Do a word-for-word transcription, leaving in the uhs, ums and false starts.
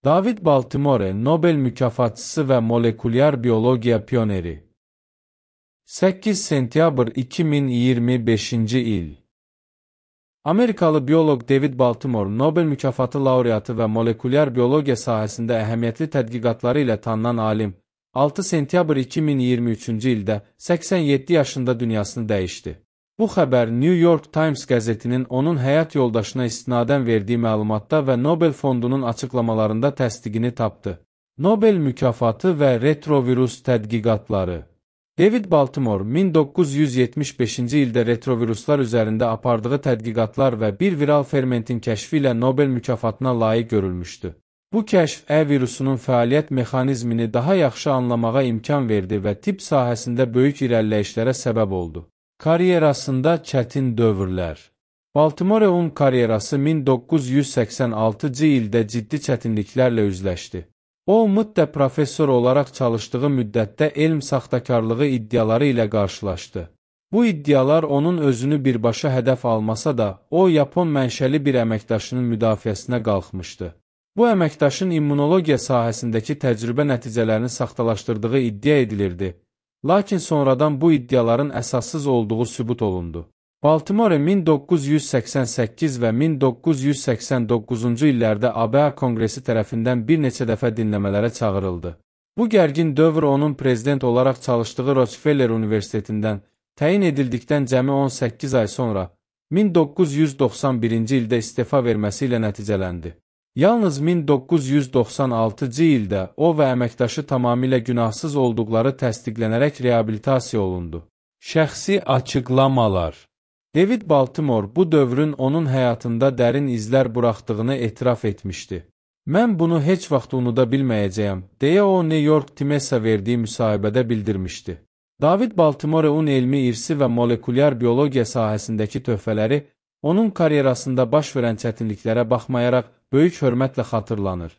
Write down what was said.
David Baltimore, Nobel mükafatçısı və molekulyar biologiya pioneri. səkkiz sentyabr iki min iyirmi beşinci il. Amerikalı bioloq David Baltimore, Nobel mükafatı laureatı və molekulyar biologiya sahəsində əhəmiyyətli tədqiqatları ilə tanınan alim, altı sentyabr iki min iyirmi üçüncü ildə səksən yeddi yaşında dünyasını dəyişdi. Bu xəbər New York Times qəzetinin onun həyat yoldaşına istinadən verdiyi məlumatda və Nobel fondunun açıqlamalarında təsdiqini tapdı. Nobel mükafatı və retrovirus tədqiqatları. David Baltimore min doqquz yüz yetmiş beşinci ildə retroviruslar üzərində apardığı tədqiqatlar və bir viral fermentin kəşfi ilə Nobel mükafatına layiq görülmüşdü. Bu kəşf E virusunun fəaliyyət mexanizmini daha yaxşı anlamağa imkan verdi və tibb sahəsində böyük irəliləyişlərə səbəb oldu. Karyerasında çətin dövrlər. Baltimore'un karyerası min doqquz yüz səksən altıncı ildə ciddi çətinliklərlə üzləşdi. O, müddət professor olaraq çalışdığı müddətdə elm saxtakarlığı iddiaları ilə qarşılaşdı. Bu iddialar onun özünü birbaşa hədəf almasa da, o, Yapon mənşəli bir əməkdaşının müdafiəsinə qalxmışdı. Bu əməkdaşın immunologiya sahəsindəki təcrübə nəticələrini saxtalaşdırdığı iddia edilirdi. Lakin sonradan bu iddiaların əsassız olduğu sübut olundu. Baltimore min doqquz yüz səksən səkkiz və min doqquz yüz səksən doqquzuncu illərdə A B A Konqresi tərəfindən bir neçə dəfə dinləmələrə çağırıldı. Bu gərgin dövr onun prezident olaraq çalışdığı Rockefeller Universitetindən təyin edildikdən cəmi on səkkiz ay sonra min doqquz yüz doxsan birinci ildə istefa verməsi ilə nəticələndi. Yalnız min doqquz yüz doxsan altıncı ildə o və əməkdaşı tamamilə günahsız olduqları təsdiqlənərək reabilitasiya olundu. Şəxsi açıqlamalar. David Baltimore bu dövrün onun həyatında dərin izlər buraxdığını etiraf etmişdi. Mən bunu heç vaxt unuda bilməyəcəyəm, deyə o New York Times'a verdiyi müsahibədə bildirmişdi. David Baltimore'un elmi irsi və molekulyar biologiya sahəsindəki töhfələri onun karyerasında baş verən çətinliklərə baxmayaraq böyük hörmətlə xatırlanır.